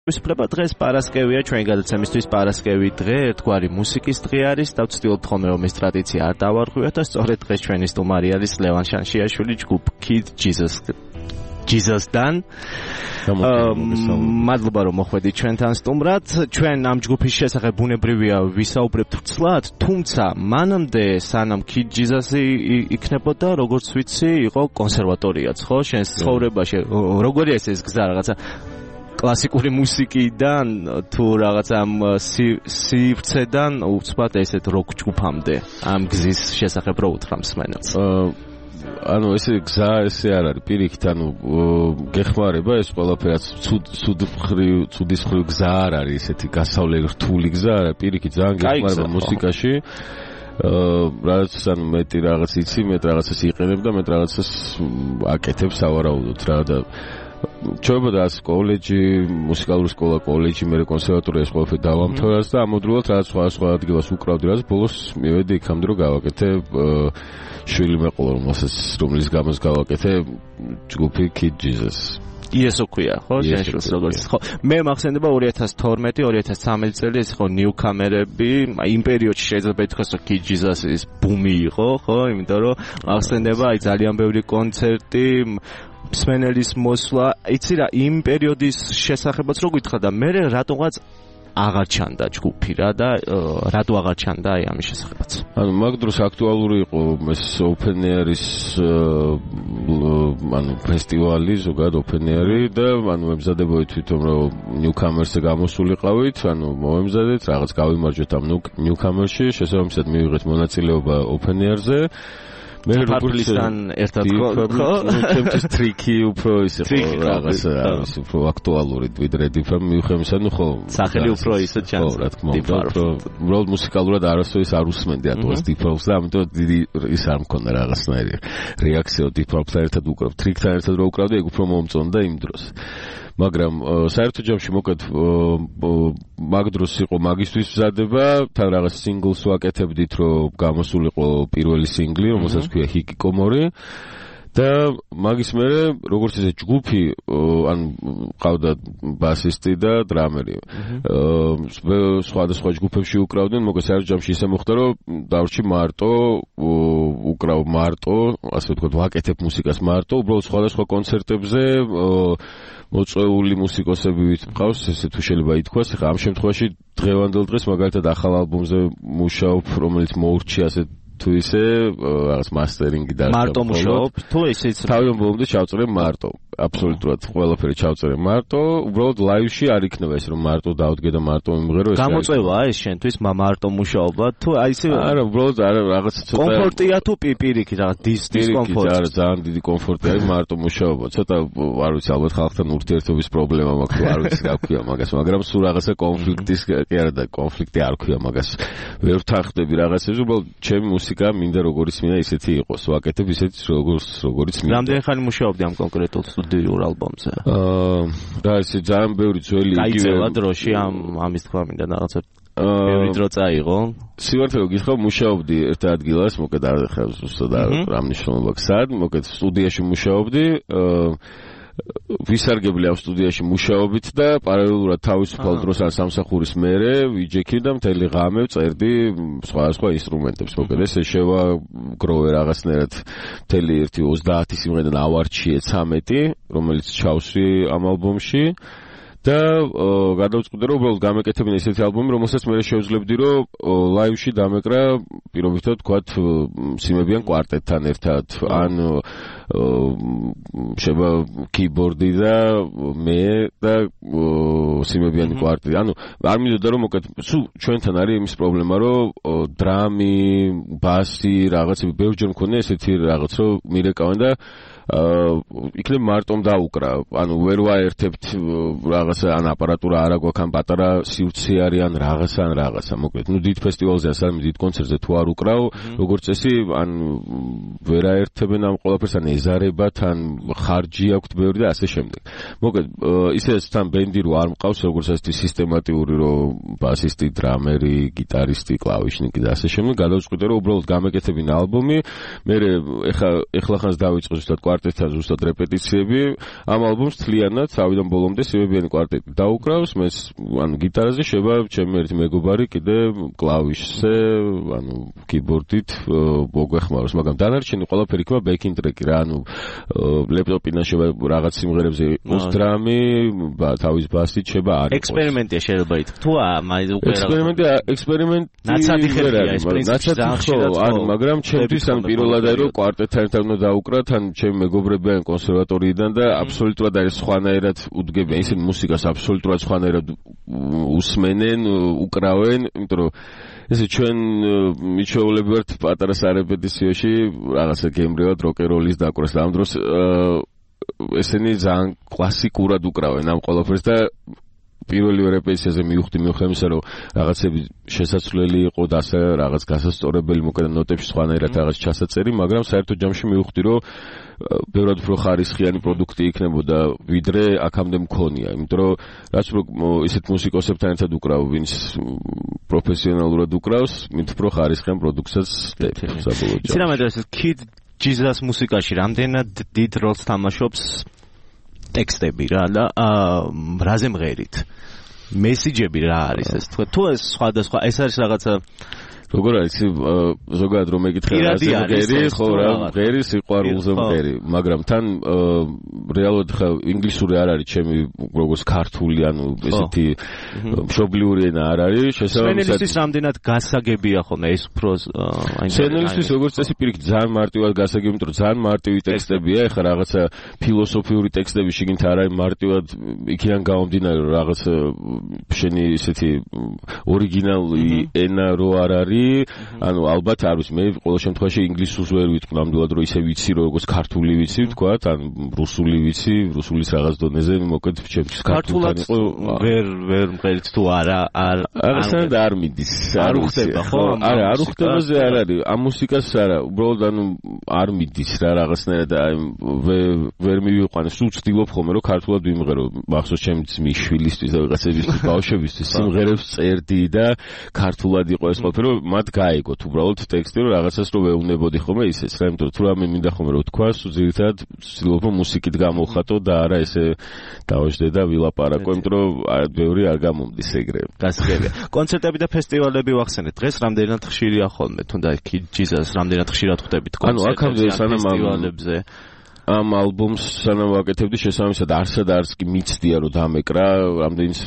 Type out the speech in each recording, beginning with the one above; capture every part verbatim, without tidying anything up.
ვისწრება დღეს პარასკევია, ჩვენი გადაცემისთვის პარასკევი დღე, ერთგვარი მუსიკის დღე არის და ვცდილობთ ხოლმე რომ ეს ტრადიცია არ დავარღვიოთ და სწორედ დღეს ჩვენი სტუმარი არის ლევან შანშიაშვილი, ჯგუფ Kid Jesus Jesus-დან. მადლობა რომ მოხვედით ჩვენთან სტუმრად. ჩვენ ამ ჯგუფის შესახებ ბუნებრივია ვისაუბრებთ ცლად, თუმცა მანამდე სანამ Kid Jesus-ი იქნებოდა, როგორც ვიცი, იყო კონსერვატორიაც, ხო? შენს ცხოვრებაში როგორია ეს გზა რაღაცა კლასიკური მუსიკიდან თუ რაღაც ამ სივრცედან უცბად ესეთ როკ ჯგუფამდე ამ გზის შესახებ რო უთხრა მსმენელს. ანუ ესე გზა ესე არ არის პირიქით, ანუ გეხმარება ეს ყველაფერაც ცუდხრივ ცუდისხრივ გზა არ არის ესეთი გასავლელი რთული გზა არა, პირიქით ძალიან გეხმარება მუსიკაში. რაც ანუ მეტი რაღაც იცი, მეტ რაღაცას იყენებ და მეტ რაღაცას აკეთებ სავარაუდოდ რა და ჩვენებოდა კოლეჯი, მუსიკალური სკოლა, კოლეჯი, მე კონსერვატორია ყველაფერი დავამთავრეს და ამოდროულად რაღაც სხვა სხვა ადგილას უკრავდი, რაც ბოლოს მივედი იქამდე რომ გავაკეთე შვილი მეყოლა, რომელსაც რომლის გამოს გავაკეთე ჯგუფი Kid Jesus. იესო ქვია, ხო? შენშულს როგორც ხო. მე მახსენდება ორი ათას თორმეტი ორი ათას ცხრამეტი წელი ეს ხო ნიუკამერები, იმ პერიოდში შეიძლება ითქვას რომ Kid Jesus-ის ბუმი იყო, ხო? იმიტომ რომ მახსენდება აი ძალიან ბევრი კონცერტი მსმენელის მოსვლა, იცი რა, იმ პერიოდის შესახებაც რო გითხრა და მე რატომღაც აღარ ჩანდა ჯგუფი რა და რატო აღარ ჩანდა აი ამის შესახებაც. ანუ მაგ დროს აქტუალური იყო ეს open air-ის ანუ ფესტივალი, ზოგადად open air-ი და ანუ მემზადებოდი თვითონ რომ newcomers-ზე გამოსულიყავით, ანუ მომემზადეთ, რაღაც გავიმარჯვეთ ამ newcomer-ში, შესაბამისად მივიღეთ მონაწილეობა open air-ზე. მე როგორიცთან ერთად ხო? ჩემთვის ტრიკი უფრო ისე ხო რაღაც არის უფრო აქტუალური ვიდრე დიფრამ მივხვემისა, ნუ ხო სახელი უფრო ისე ჩანს. ხო, რა თქმა უნდა, უბრალოდ მუსიკალურად არასოდეს არ უსმენდი ატოს დიფრავს და ამიტომ დიდი ის არ მქონდა რაღაცნაირი რეაქცია დიფრავთან ერთად უკრავ, ტრიკთან ერთად რო უკრავდი, ეგ უფრო მომწონდა იმ დროს. მაგრამ საერთო ჯამში მოკეთ მაგ დროს იყო მაგისტვის მზადება, თან რაღაც სინგლს ვაკეთებდით, რომ გამოსულიყო პირველი სინგლი, რომელსაც ქვია ჰიკიკომორი და მაგის მერე როგორც ესე ჯგუფი, ანუ ყავდა ბასისტი და დრამერი. სხვადასხვა ჯგუფებში უკრავდნენ, მოკეთ საერთო ჯამში ისე მოხდა, რომ დავრჩი მარტო, უკრავ მარტო, ასე ვთქვათ, ვაკეთებ მუსიკას მარტო, უბრალოდ სხვადასხვა კონცერტებზე მოწვეული მუსიკოსები ვიტყავს, ესე თუ შეიძლება ითქვას, ხა ამ შემთხვევაში დღევანდელ დღეს მაგალითად ახალ ალბომზე მუშაობ, რომელიც მოურჩია ასე თუ ისე რაღაც მასტერინგი და მარტო მუშაობ, თუ ისეც თავიდან ბოლომდე ჩავწერე მარტო, აბსოლუტურად ყველაფერი ჩავწერე მარტო, უბრალოდ ლაივში არ იქნება ეს რომ მარტო დავდგე და მარტო მიმღერო ეს. გამოწვევა ეს შენთვის მარტო მუშაობა, თუ აი ისე არა, უბრალოდ არა რაღაც ცოტა კომფორტია თუ პირიქით რაღაც დისკომფორტი. არა, ძალიან დიდი კომფორტი არის მარტო მუშაობა. ცოტა არ ვიცი, ალბათ ხალხთან ურთიერთობის პრობლემა მაქვს, არ ვიცი რა ქვია მაგას, მაგრამ სულ რაღაცა კონფლიქტის კი არა და კონფლიქტი არ ქვია მაგას. ვერ ვთანხმდები რაღაცებს, უბრალოდ ჩემი მუსიკა მინდა როგორიც მინდა ისეთი იყოს, ვაკეთებ ისეთი როგორც როგორიც მინდა. რამდენი ხანი მუშაობდი ამ კონკრეტულ სტუდიურ ალბომზე? აა, რა ისე ძალიან ბევრი ძველი იგივე. გაიწევა დროში ამ ამის თქვა მინდა რაღაცა ბევრი დრო წაიღო. სივართ რომ გითხრა, მუშაობდი ერთ ადგილას, მოკეთ არ ხარ ზუსტად რა მნიშვნელობა აქვს, სად, მოკეთ სტუდიაში მუშაობდი, აა ვისარგებლე ამ სტუდიაში მუშაობით და პარალელურად თავისუფალ დროს ან სამსახურის მერე ვიჯექი და მთელი ღამე წერდი სხვადასხვა ინსტრუმენტებს. მოკეთ ესე შევაგროვე რაღაცნაირად მთელი ერთი ოცდაათი სიმღერიდან ავარჩიე ცამეტი, რომელიც ჩავსვი ამ ალბომში. და გადავწყვიტე რომ უბრალოდ გამეკეთებინა ესეთი ალბომი, რომელსაც მე შევძლებდი რომ ლაივში დამეკრა პირობითად თქვათ სიმებიან კვარტეტთან ერთად, ან შევა კიბორდი და მე და სიმებიანი კვარტეტი. ანუ არ მინდოდა რომ მოკეთ სულ ჩვენთან არის იმის პრობლემა, რომ დრამი, ბასი, რაღაცები ბევრჯერ მქონია ესეთი რაღაც, რომ მირეკავენ და იქნებ მარტომ დაუკრა, ანუ ვერ ვაერთებთ რაღაცა ან აპარატურა არ აგვაქვს, ან პატარა სივრცე არის, ან რაღაცა ან რაღაცა. მოკლედ, ნუ დიდ ფესტივალზე ან დიდ კონცერტზე თუ არ უკრავ, როგორც წესი, ან ვერ აერთებენ ამ ყველაფერს, ან ეზარებათ, ან ხარჯი აქვთ ბევრი და ასე შემდეგ. მოკლედ, ისეც თან ბენდი რო არ მყავს, როგორც ასეთი სისტემატიური, რომ ბასისტი, დრამერი, გიტარისტი, კლავიშნიკი და ასე შემდეგ, გადავწყვიტე რომ უბრალოდ გამეკეთებინა ალბომი. მე ეხლა ეხლა ხანს დავიწყე ზუსტად კვარტეტთან ზუსტად რეპეტიციები. ამ ალბომს თლიანად თავიდან ბოლომდე სიმებიანი კვარტეტი დაუკრავს. მე ანუ გიტარაზე შევა ჩემი ერთი მეგობარი კიდე კლავიშზე, ანუ კიბორდით მოგვეხმაროს, მაგრამ დანარჩენი ყველაფერი იქნება ბექინგ ტრეკი რა, ანუ ლეპტოპიდან შევა რაღაც სიმღერებზე იყოს დრამი, თავის ბასით შევა არ იყოს. ექსპერიმენტია შეიძლება ითქვას. თუ აი უკვე ექსპერიმენტი ექსპერიმენტი ნაცადი ხერხია ეს პრინციპი ანუ მაგრამ ჩემთვის ან პირველად არის რომ კვარტეტთან ერთად უნდა დაუკრათ, ან ჩემი მეგობრები ან კონსერვატორიიდან და აბსოლუტურად არის სხვანაირად უდგებიან, ისინი მუსიკას აბსოლუტურად სხვანაირად უსმენენ, უკრავენ, იმიტომ რომ ესე ჩვენ მიჩვეულები ვართ პატარა სარეპეტიციოში რაღაცა გემრიელად როკეროლის დაკვრას და ამ დროს ესენი ძალიან კლასიკურად უკრავენ ამ ყველაფერს და პირველი რეპეტიციაზე მივხვდი მიუხედავად იმისა, რომ რაღაცები შესაძლებელი იყო და ასე რაღაც გასასწორებელი მოკლედ ნოტებში სხვანაირად რაღაც ჩასაწერი, მაგრამ საერთო ჯამში მივხვდი, რომ ბევრად უფრო ხარისხიანი პროდუქტი იქნებოდა, ვიდრე აქამდე მქონია, იმიტომ რომ რაც უფრო ისეთ მუსიკოსებთან ერთად უკრავ, ვინც პროფესიონალურად უკრავს, მით უფრო ხარისხიან პროდუქტსაც ვხდები საბოლოო ჯამში. იცი რა მეტყვი, ეს Kid Jesus მუსიკაში რამდენად დიდ როლს თამაშობს ტექსტები რა და რაზე მღერით მესიჯები რა არის ეს თქვა თუ ეს სხვადასხვა ეს არის რაღაცა როგორ არის ზოგადად რომ ეკითხა რაზე მღერი ხო რა მღერი სიყვარულზე მღერი მაგრამ თან რეალურად ხა ინგლისური არ არის ჩემი როგორც ქართული ანუ ესეთი მშობლიური ენა არ არის შესაბამისად სენელისთვის რამდენად გასაგებია ხოლმე ეს უფრო აი სენელისთვის როგორც წესი პირიქით ძალიან მარტივად გასაგები იმიტომ რომ ძალიან მარტივი ტექსტებია ეხლა რაღაცა ფილოსოფიური ტექსტები შიგნით არ არის მარტივად იქიდან გამომდინარე რომ რაღაც შენი ესეთი ორიგინალური ენა რო არ არის ანუ ალბათ არ ვიცი მე ყოველ შემთხვევაში ინგლისურს ვერ ვიტყვი ნამდვილად რომ ისე ვიცი როგორც ქართული ვიცი ვთქვათ ან რუსული ვიცი რუსულის რაღაც დონეზე მოკლედ ჩემთვის ქართულად ვერ ვერ მღერით თუ არა არ აღსანა არ მიდის არ უხდება ხო არა არ უხდებაზე არ არის ამ მუსიკას არა უბრალოდ ანუ არ მიდის რა რაღაცნაირად აი ვერ მივიყვანე სულ ვცდილობ ხოლმე რომ ქართულად ვიმღერო მახსოვს ჩემი ძმის შვილისთვის და ვიღაცებისთვის ბავშვებისთვის სიმღერებს წერდი და ქართულად იყო ეს ყველაფერი მათ გაიგოთ უბრალოდ ტექსტი რომ რაღაცას რო ვეუბნებოდი ხოლმე ისეც რა იმიტომ რომ თუ რამე მინდა ხოლმე რომ თქვა სულ ძირითადად ვცდილობ მუსიკით გამოვხატო და არა ესე დავაждე და ვილაპარაკო იმიტომ რომ ბევრი არ გამომდის ეგრე გასაგებია კონცერტები და ფესტივალები ვახსენეთ დღეს რამდენად ხშირია ხოლმე თუნდა Kid Jesus რამდენად ხშირად ხვდებით კონცერტებზე ანუ ფესტივალებზე ამ ალბომს სანამ ვაკეთებდი შესაბამისად არსად არც კი მიცდია რომ დამეკრა რამდენიც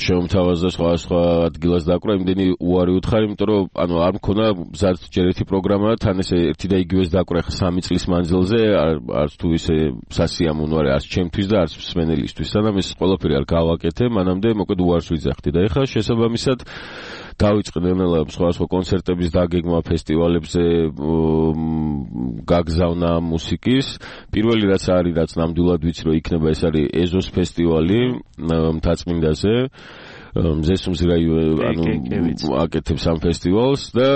შემოთავაზა სხვა-სხვა ადგილას დაკვრა იმდენი უარი უთხარი იმიტომ რომ ანუ არ მქონა მზარდ ჯერ ერთი პროგრამა თან ესე ერთი და იგივეს დაკვრა ხა სამი წლის მანძილზე არც თუ ისე სასიამოვნო არის არც ჩემთვის და არც მსმენელისთვის სანამ ეს ყველაფერი არ გავაკეთე მანამდე მოკლედ უარს ვიძახდი და ეხლა შესაბამისად დავიწყე ნელა სხვა-სხვა კონცერტების დაგეგმა ფესტივალებზე გაგზავნა მუსიკის პირველი რაც არის რაც ნამდვილად ვიცი რომ იქნება ეს არის ეზოს ფესტივალი მთაწმინდაზე მზესუმზირაი ანუ აკეთებს ამ ფესტივალს და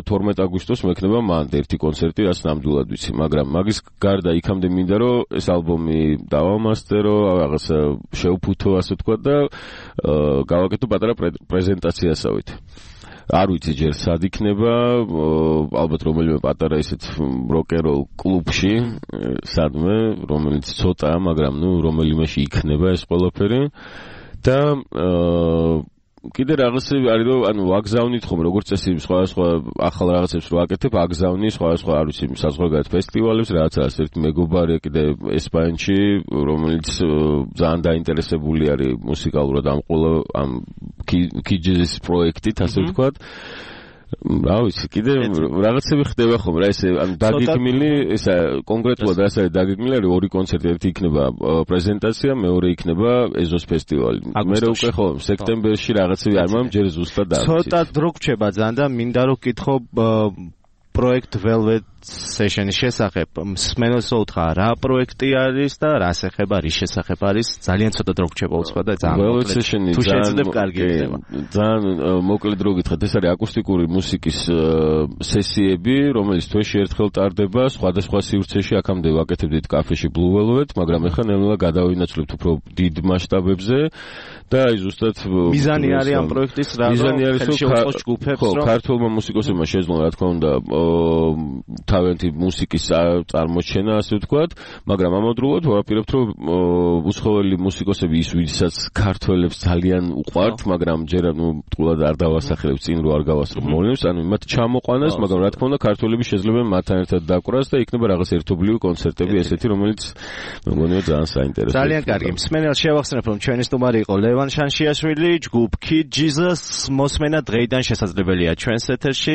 თორმეტ აგვისტოს მექნება მანდ ერთი კონცერტი რაც ნამდვილად ვიცი მაგრამ მაგის გარდა იქამდე მინდა რომ ეს ალბომი დავამასტერო რაღაცა შევფუთო ასე თქვა და გავაკეთო პატარა პრეზენტაციასავით არ ვიცი ჯერ სად იქნება ალბათ რომელიმე პატარა ისეთ როკეროლ კლუბში სადმე რომელიც ცოტაა მაგრამ ნუ რომელიმეში იქნება ეს ყველაფერი და კიდე რაღაცები არის რომ ანუ ვაგზავნით ხომ როგორც წესი სხვადასხვა ახალ რაღაცებს რო აკეთებ აგზავნი სხვადასხვა არ ვიცი საზღვარგარეთ ფესტივალებს რაღაც არის ერთი მეგობარი კიდე ესპანეთში რომელიც ძალიან დაინტერესებული არის მუსიკალურად ამ ყველა ამ კიჯის პროექტით ასე ვთქვათ რა ვიცი კიდე რაღაცები ხდება ხომ რა ესე ანუ დაგეგმილი ესა კონკრეტულად რაც არის დაგეგმილი არის ორი კონცერტი ერთი იქნება პრეზენტაცია მეორე იქნება ეზოს ფესტივალი მე რა უკვე ხო სექტემბერში რაღაცები არ მამ ჯერ ზუსტად არ ვიცი ცოტა დრო გრჩება ძალიან და მინდა რომ გითხო პროექტ Velvet Session-ის შესახებ მსმენელს უთხრა რა პროექტი არის და რას ეხება რის შესახებ არის ძალიან ცოტა დრო გრჩება უცხო და ძალიან Velvet Session-ი თუ შეძლებ კარგი იქნება ძალიან მოკლედ რო გითხრათ ეს არის აკუსტიკური მუსიკის სესიები რომელიც თვეში ერთხელ ტარდება სხვადასხვა სივრცეში აქამდე ვაკეთებდით კაფეში Blue Velvet მაგრამ ეხლა ნელა გადავინაცვლებთ უფრო დიდ მასშტაბებზე და აი ზუსტად მიზანი არის ამ პროექტის რა მიზანი არის რომ ხო ქართულმა მუსიკოსებმა შეძლონ რა თქმა უნდა თავიანთი მუსიკის წარმოჩენა, ასე ვთქვათ, მაგრამ ამავდროულად ვაპირებთ, რომ უსხოველი მუსიკოსები ის, ვისაც ქართველებს ძალიან უყვართ, მაგრამ ჯერ ნუ ტყუილად არ დავასახელებ წინ რო არ გავასწრო მოვლენებს, ანუ მათ ჩამოყვანას, მაგრამ რა თქმა უნდა, ქართველები შეიძლება მათთან ერთად დაკვრას და იქნება რაღაც ერთობლივი კონცერტები ესეთი, რომელიც მეგონია ძალიან საინტერესოა. ძალიან კარგი. მსმენელს შევახსენებ, რომ ჩვენი სტუმარი იყო ლევან შანშიაშვილი, ჯგუფ Kid Jesus, მოსმენა დღეიდან შესაძლებელია ჩვენს ეთერში.